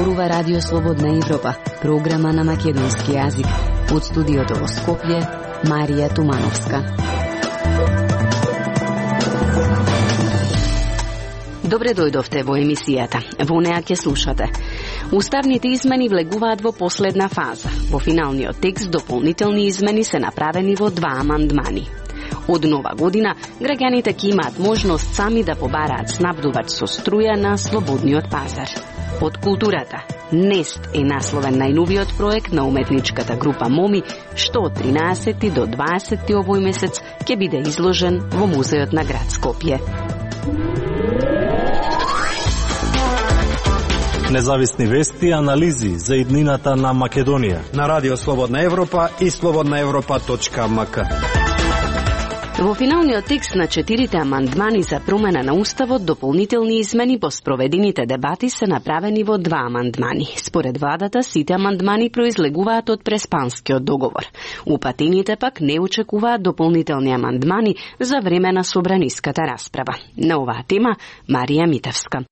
зборува Радио Слободна Европа, програма на македонски јазик. Од студиото во Скопје, Марија Тумановска. Добре дојдовте во емисијата. Во неа ќе слушате. Уставните измени влегуваат во последна фаза. Во финалниот текст дополнителни измени се направени во 2 амандмани. Од нова година, граѓаните ќе имаат можност сами да побараат снабдувач со струја на слободниот пазар. Од културата, Нест е насловен најновиот проект на уметничката група Моми, што од 13 до 20 овој месец ќе биде изложен во музеот на град Скопје. Независни вести и анализи за иднината на Македонија на Радио Слободна Европа и slobodnaevropa.mk. Во финалниот текст на 4 амандмани за промена на Уставот, дополнителни измени по спроведените дебати се направени во 2 амандмани. Според владата, сите амандмани произлегуваат од Преспанскиот договор. Упатените пак не очекуваат дополнителни амандмани за време на собраниската расправа. На оваа тема, Марија Митевска.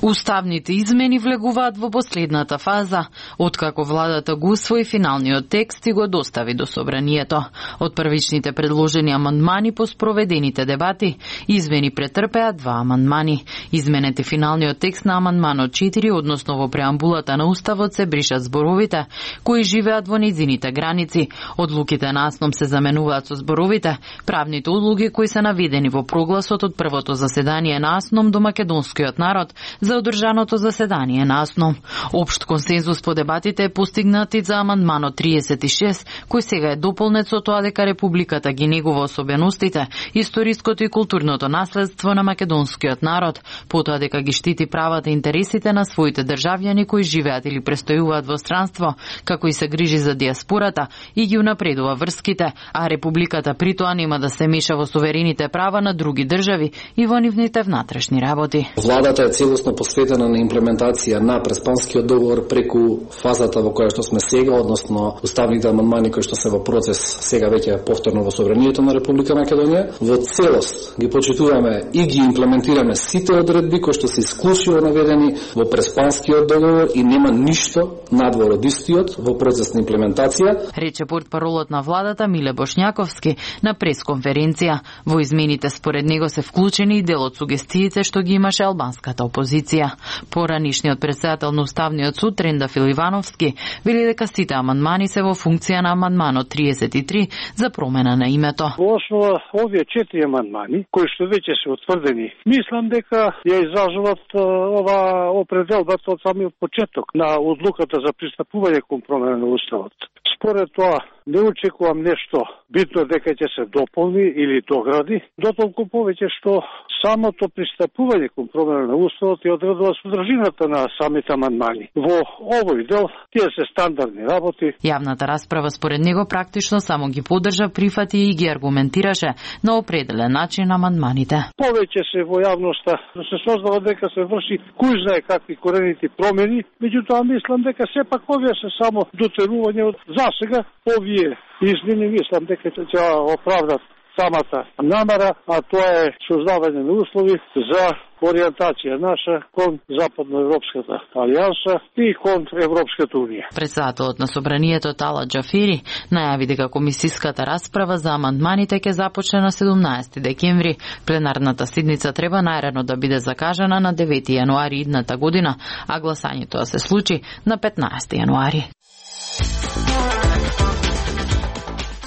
Уставните измени влегуваат во последната фаза, откако владата го усвои финалниот текст и го достави до собранието. Од првичните предложени амандмани по спроведените дебати, измени претрпеа 2 амандмани. Изменете финалниот текст на амандманот 4, односно во преамбулата на Уставот се бришат зборовите кои живеат во нејзините граници. Одлуките на АСНОМ се заменуваат со зборовите правните одлуги кои се наведени во прогласот од првото заседание на АСНОМ до македонскиот народ за одржаното заседание на АСНОМ. Општ консензус по дебатите е постигнат и за амандманот 36, кој сега е дополнет со тоа дека Републиката ги негува особеностите, историското и културното наследство на македонскиот народ, потоа дека ги штити правата и интересите на своите државјани кои живеат или престојуваат во странство, како и се грижи за диаспората и ги унапредува врските, а Републиката при тоа нема да се меша во суверените права на други држави и во нивните внатрешни работи. Владата е целосно посветена на имплементација на Преспанскиот договор преку фазата во која што сме сега, односно уставните амандмани кои што се во процес сега веќе повторно во собранието на Република Македонија. Во целост ги почитуваме и ги имплементираме сите одредби кои што се исклучиво наведени во Преспанскиот договор и нема ништо надвор од истиот во процес на имплементација, рече портпаролот на владата Миле Бошњаковски на пресконференција. Во измените според него се вклучени и дел од сугестиите што ги имаше албанската опозиција. Поранишниот председател на Уставниот суд Трендафил Ивановски вели дека сите амандмани се во функција на амандманот 33 за промена на името. Во основа овие 4 амандмани кои што веќе се утврдени, мислам дека ја изражуваат ова определбата од самиот почеток на одлуката за пристапување кон промена на Уставот. Според тоа не очекувам нешто битно дека ќе се дополни или догради, дотолку повеќе што самото пристапување кон промена на Уставот ја одредува содржината на самите амандмани. Во овој дел тие се стандардни работи. Јавната расправа според него практично само ги поддржа, прифати и ги аргументираше на определен начин амандманите. Повеќе се во јавноста се создава дека се врши кој знае какви коренити промени, меѓутоа мислам дека сепак овие се само дотерување од засега овие измени, мислам дека ќе оправдат самата намера, а тоа е создавање на услови за ориентација наша кон Западноевропската алијанса и кон Европската унија. Председателот на собранието Тала Џафери најави дека комисиската расправа за амандманите ќе започне на 17 декември. Пленарната седница треба најрано да биде закажана на 9 јануари идната година, а гласањето да се случи на 15 јануари.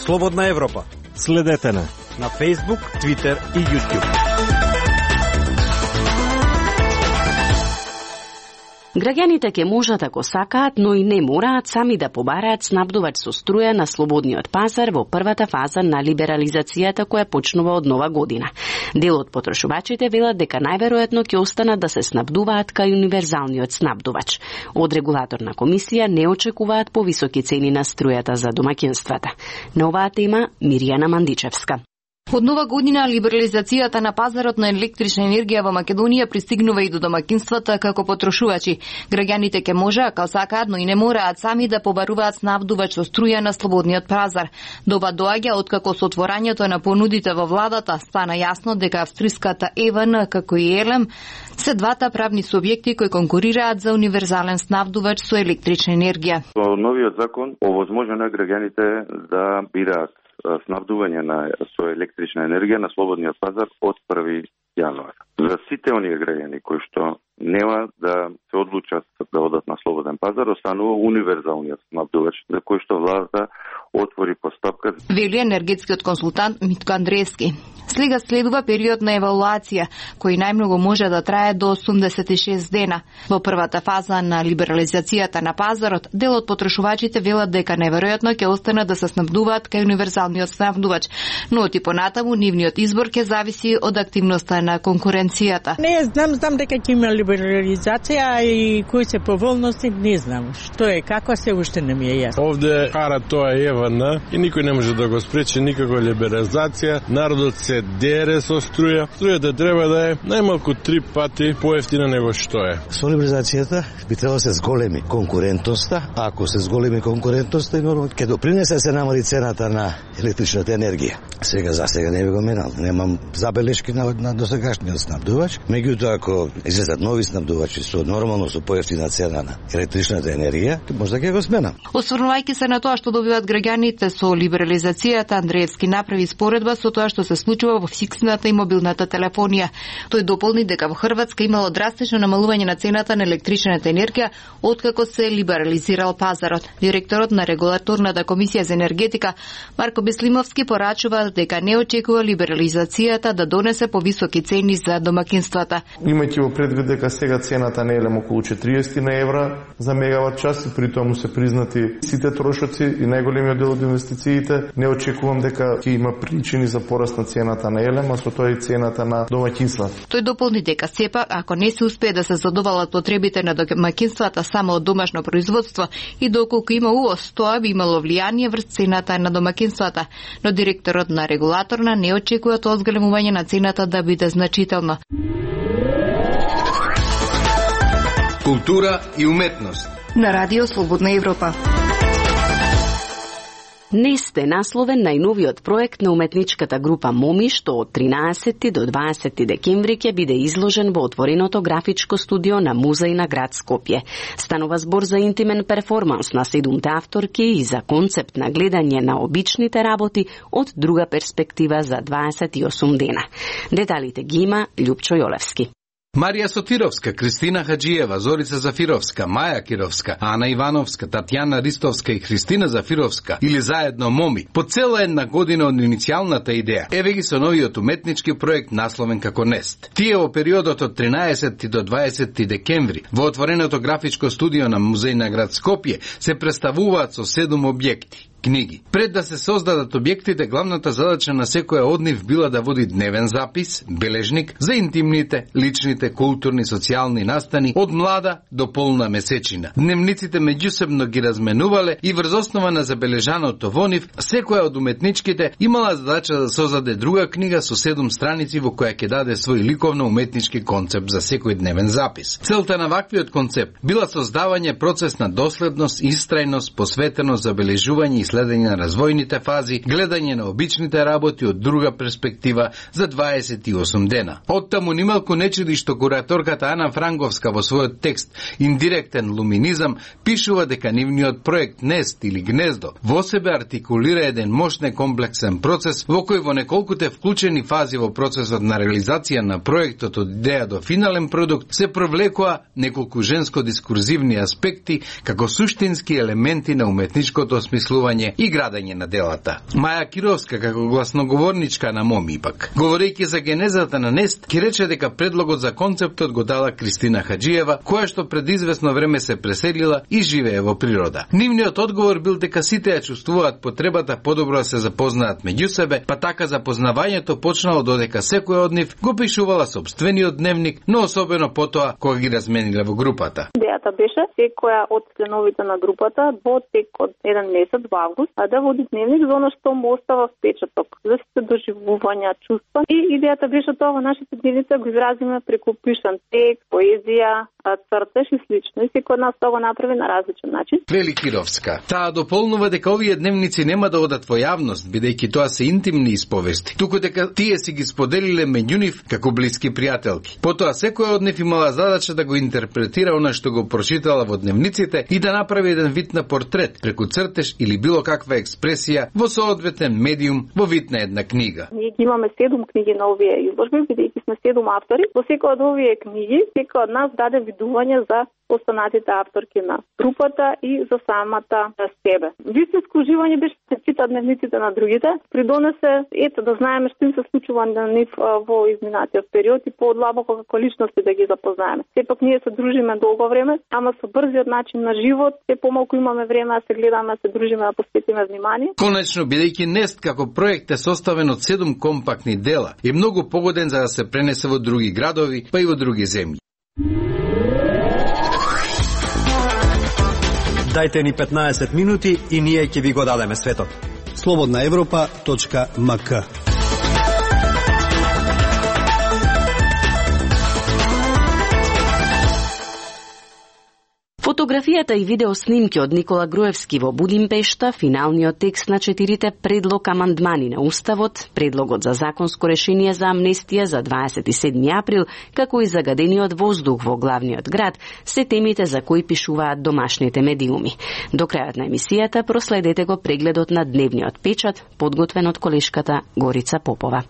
Слободна Европа. Следете на Facebook, Twitter и YouTube. Граѓаните ќе можат ако сакаат, но и не мораат сами да побараат снабдувач со струја на слободниот пазар во првата фаза на либерализацијата која почнува од нова година. Дел од потрошувачите велат дека најверојатно ќе останат да се снабдуваат кај универзалниот снабдувач. Од регулаторна комисија не очекуваат повисоки цени на струјата за домаќинствата. На оваа тема Мирјана Мандичевска. Од нова година либерализацијата на пазарот на електрична енергија во Македонија пристигнува и до домакинствата како потрошувачи. Граѓаните ќе може, ако сакаат, но и не мораат сами да побаруваат снабдувач со струја на слободниот пазар. Доба доаѓа откако со отворањето на понудите во владата стана јасно дека австриската ЕВН како и ЕЛЕМ се двата правни субјекти кои конкурираат за универзален снабдувач со електрична енергија. Со новиот закон овозможено е граѓаните да бираат снабдување со електрична енергија на слободниот пазар од 1 јануар. За сите оние граѓани кои што нема да се одлучат да одат на слободен пазар, останува универзалниот снабдувач за кој што владата отвори постапка. Вели енергетскиот консултант Митко Андреевски. Сега следува период на евалуација, кој најмногу може да трае до 86 дена. Во првата фаза на либерализацијата на пазарот, дел од потрошувачите велат дека неверојатно ќе останат да се снабдуваат кај универзалниот снабдувач, но и понатаму нивниот избор ќе зависи од активноста на конкуренцијата. Не знам дека ќе има либерализација и кои се поволности, не знам. Што е, како се уште не ми е јасно. Овде кара тоа ЕВН и никој не може да го спречи никаква либерализација. Народот се дере со струја. Струјата треба да е најмалку 3 пати поевтина него што е. Со либерализацијата би требало да се зголеми конкурентноста, а ако се зголеми конкурентноста, нормално ќе допринесе се намали цената на електричната енергија. За сега не би го менал. Немам забелешки на досегашниот снабдувач. Меѓутоа, ако излезат нови снабдувачи со нормално со поевтина цена на електричната енергија, може да ќе го сменам. Осврнувајќи се на тоа што добиваат граѓаните со либерализацијата, Андреевски направи споредба со тоа што се случува во фиксната и мобилната телефонија. Тој дополни дека во Хрватска имало драстично намалување на цената на електричната енергија откако се либерализирал пазарот. Директорот на Регулаторната комисија за енергетика Марко Беслимовски порачува дека не очекува либерализацијата да донесе повисоки цени за домакинствата. Имајќи во предвид дека сега цената на ЕЛЕМ околу 40 евра за мегават час и при тоа му се признати сите трошоци и најголемиот дел од инвестициите, не очекувам дека ќе има причини за пораст на цената на ЕЛЕМ, а со тоа и цената на домаќинствата. Тој дополни дека сепак, ако не се успее да се задоволат потребите на домаќинствата само од домашно производство и доколку има увоз, тоа би имало влијание врз цената на домаќинствата, но директорот на регулаторна не очекува тоа зголемување на цената да биде значително. Култура и уметност. На Радио Слободна Европа. Нест е насловен најновиот проект на уметничката група Моми, што од 13 до 20 декември ќе биде изложен во отвореното графичко студио на Музеј на град Скопје. Станува збор за интимен перформанс на 7 авторки и за концепт на гледање на обичните работи од друга перспектива за 28 дена. Деталите ги има Љупчо Јолевски. Марија Сотировска, Кристина Хаджиева, Зорица Зафировска, Маја Кировска, Ана Ивановска, Татјана Ристовска и Христина Зафировска или заедно Моми, по цела една година од иницијалната идеја. Еве ги со новиот уметнички проект насловен како Нест. Тие во периодот од 13 до 20 декември во отвореното графичко студио на Музеј на град Скопје се представуваат со 7 објекти. Книги. Пред да се создадат објектите, главната задача на секоја од нив била да води дневен запис, бележник за интимните, личните, културни, социјални настани од млада до полна месечина. Дневниците меѓусебно ги разменувале и врз основа на забележаното во нив, секоја од уметничките имала задача да создаде друга книга со 7 страници во која ќе даде свој ликовно-уметнички концепт за секој дневен запис. Целта на ваквиот концепт била создавање процес на доследност, истрајност, посветеност, забележување и следење на развојните фази, гледање на обичните работи од друга перспектива за 28 дена. Оттаму нималку не чуди што кураторката Ана Франговска во својот текст "Индиректен луминизам" пишува дека нивниот проект Нест или Гнездо во себе артикулира еден мощен комплексен процес во кој во неколкуте вклучени фази во процесот на реализација на проектот од идеја до финален продукт се провлекоа неколку женско-дискурзивни аспекти како суштински елементи на уметничкото осмислување и градење на делата. Маја Кировска, како гласноговорничка на Моми пак, говорејќи за генезата на Нест, ќе рече дека предлогот за концептот го дала Кристина Хаджиева, која што пред известно време се преселила и живее во природа. Нивниот одговор бил дека сите ја чувствуваат потребата подобро да се запознаат меѓу себе, па така запознавањето почнало додека секој од нив го пишувала сопствениот дневник, но особено потоа кога ги размениле во групата. Идејата Идејата беше секоја од членовите на групата во тек од еден месец во август да води дневник за она што му остава впечаток, за сите доживувања, чувства. И идејата беше тоа во нашите дневници го изразиме преку пишан текст, поезија, цртеж и слично. И секој од нас тоа го направи на различен начин. Вели Кировска. Таа дополнува дека овие дневници нема да одат во јавност, бидејќи тоа се интимни исповести, туку дека тие си ги споделиле меѓу нив како блиски пријателки. Потоа секоја од нив имала задача да го интерпретира она што го прочитала во дневниците и да направи еден вид на портрет преку цртеж или било каква експресија во соодветен медиум во вид на една книга. Ние имаме 7 книги на овие изложби, бидејќи сме 7 автори. Во секоја од овие книги, секој од нас даде видување за останатите авторки на групата и за самата себе. Вистинско уживање беше да се чита дневниците на другите, придонесе да знаеме што им се случува на нив во изминатиот период и подлабоко како личности да ги запознаеме. Сепак ние се дружиме долго време, ама со брзиот начин на живот, се помалку имаме време да се гледаме, да се дружиме, да посветиме внимание. Конечно, бидејќи Нест како проект е составен од 7 компактни дела и многу погоден за да се пренесе во други градови, па и во други земји. Дајте ни 15 минути и ние ќе ви го дадеме светот. slobodnaevropa.mk. Фотографијата и видеоснимки од Никола Груевски во Будимпешта, финалниот текст на 4 предлог амандмани на Уставот, предлогот за законско решение за амнестија за 27 април, како и загадениот воздух во главниот град, се темите за кои пишуваат домашните медиуми. До крајот на емисијата проследете го прегледот на дневниот печат, подготвен од колешката Горица Попова.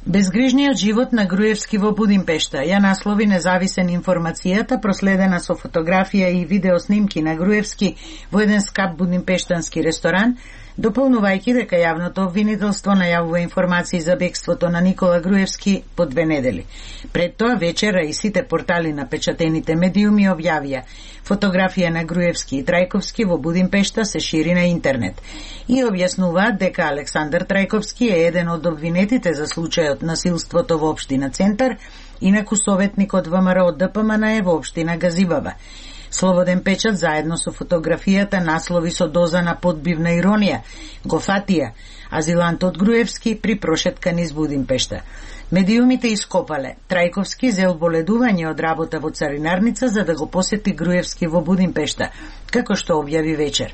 Безгрижниот живот на Груевски во Будимпешта ја наслови независен информацијата, проследена со фотографија и видеоснимки на Груевски во еден скап будимпештански ресторан, дополнувајќи дека јавното обвинителство најавува информации за бегството на Никола Груевски по 2 недели. Пред тоа вечера и сите портали на печатените медиуми објавија фотографија на Груевски и Трајковски во Будимпешта се шири на интернет и објаснуваат дека Александар Трајковски е еден од обвинетите за случајот насилството во општина Центар, инаку советник од ВМРО ДПМН во општина Газибаба. Слободен печат заедно со фотографијата наслови со доза на подбивна иронија го фатија азилантот Груевски при прошетка низ Будимпешта. Медиумите ископале Трајковски зел боледување од работа во царинарница за да го посети Груевски во Будимпешта, како што објави вечер.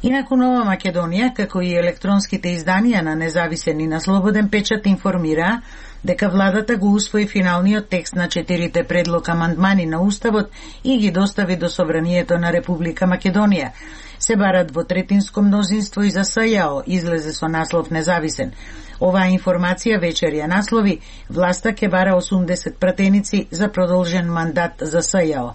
Инаку Нова Македонија, како и електронските изданија на независен и на Слободен печат информираа дека владата го усвои финалниот текст на 4 предлог амандмани на Уставот и ги достави до Собранието на Република Македонија. Се барат во третинско мнозинство и за СЈО излезе со наслов независен. Оваа информација вечер ја наслови власта ќе бара 80 пратеници за продолжен мандат за СЈО.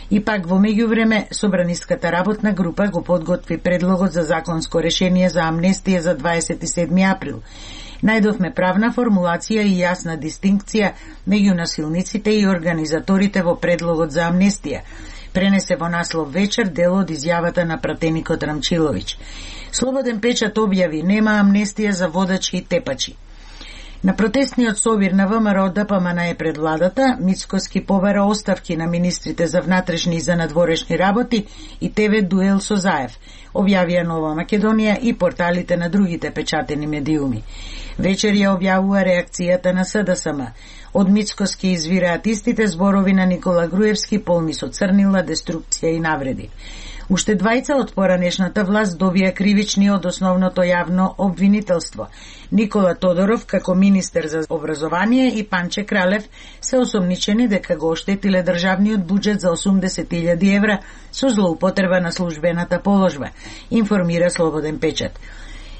И пак во меѓувреме Собраниската работна група го подготви предлогот за законско решение за амнестија за 27 април. Најдовме правна формулација и јасна дистинкција меѓу насилниците и организаторите во предлогот за амнестија. Пренесе во наслов вечер дел од изјавата на пратеникот Рамчиловиќ. Слободен печат објави нема амнестија за водачи и тепачи. На протестниот собир на ВМРО ДПМН пред владата, Мицкоски побара оставки на министрите за внатрешни и за надворешни работи и ТВ дуел со Заев, објавија Нова Македонија и порталите на другите печатени медиуми. Вечер ја објавува реакцијата на СДСМ. Од Мицкоски извираат истите зборови на Никола Груевски полни со црнила, деструкција и навреди. Уште двајца од поранешната власт добија кривични од основното јавно обвинителство. Никола Тодоров како министер за образование и Панче Кралев се осомничени дека го оштетиле државниот буџет за 80.000 евра со злоупотреба на службената положба, информира Слободен печат.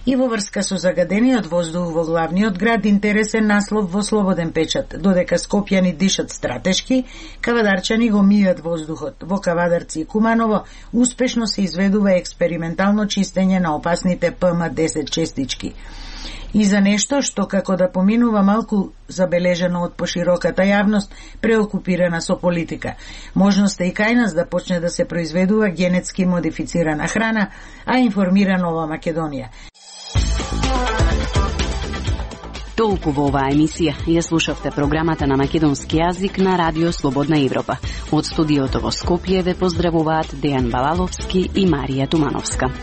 И во врска со загадениот воздух во главниот град интересен наслов во Слободен печат, додека скопјани дишат стратешки, кавадарчани го мијат воздухот. Во Кавадарци и Куманово успешно се изведува експериментално чистење на опасните ПМ-10 честички. И за нешто што како да поминува малку забележано од пошироката јавност, преокупирана со политика. Можност е и кај нас да почне да се произведува генетски модифицирана храна, а информира Нова Македонија. Толку во оваа емисија. Ја слушавте програмата на македонски јазик на Радио Слободна Европа. Од студиото во Скопје ве поздравуваат Дејан Балаловски и Марија Тумановска.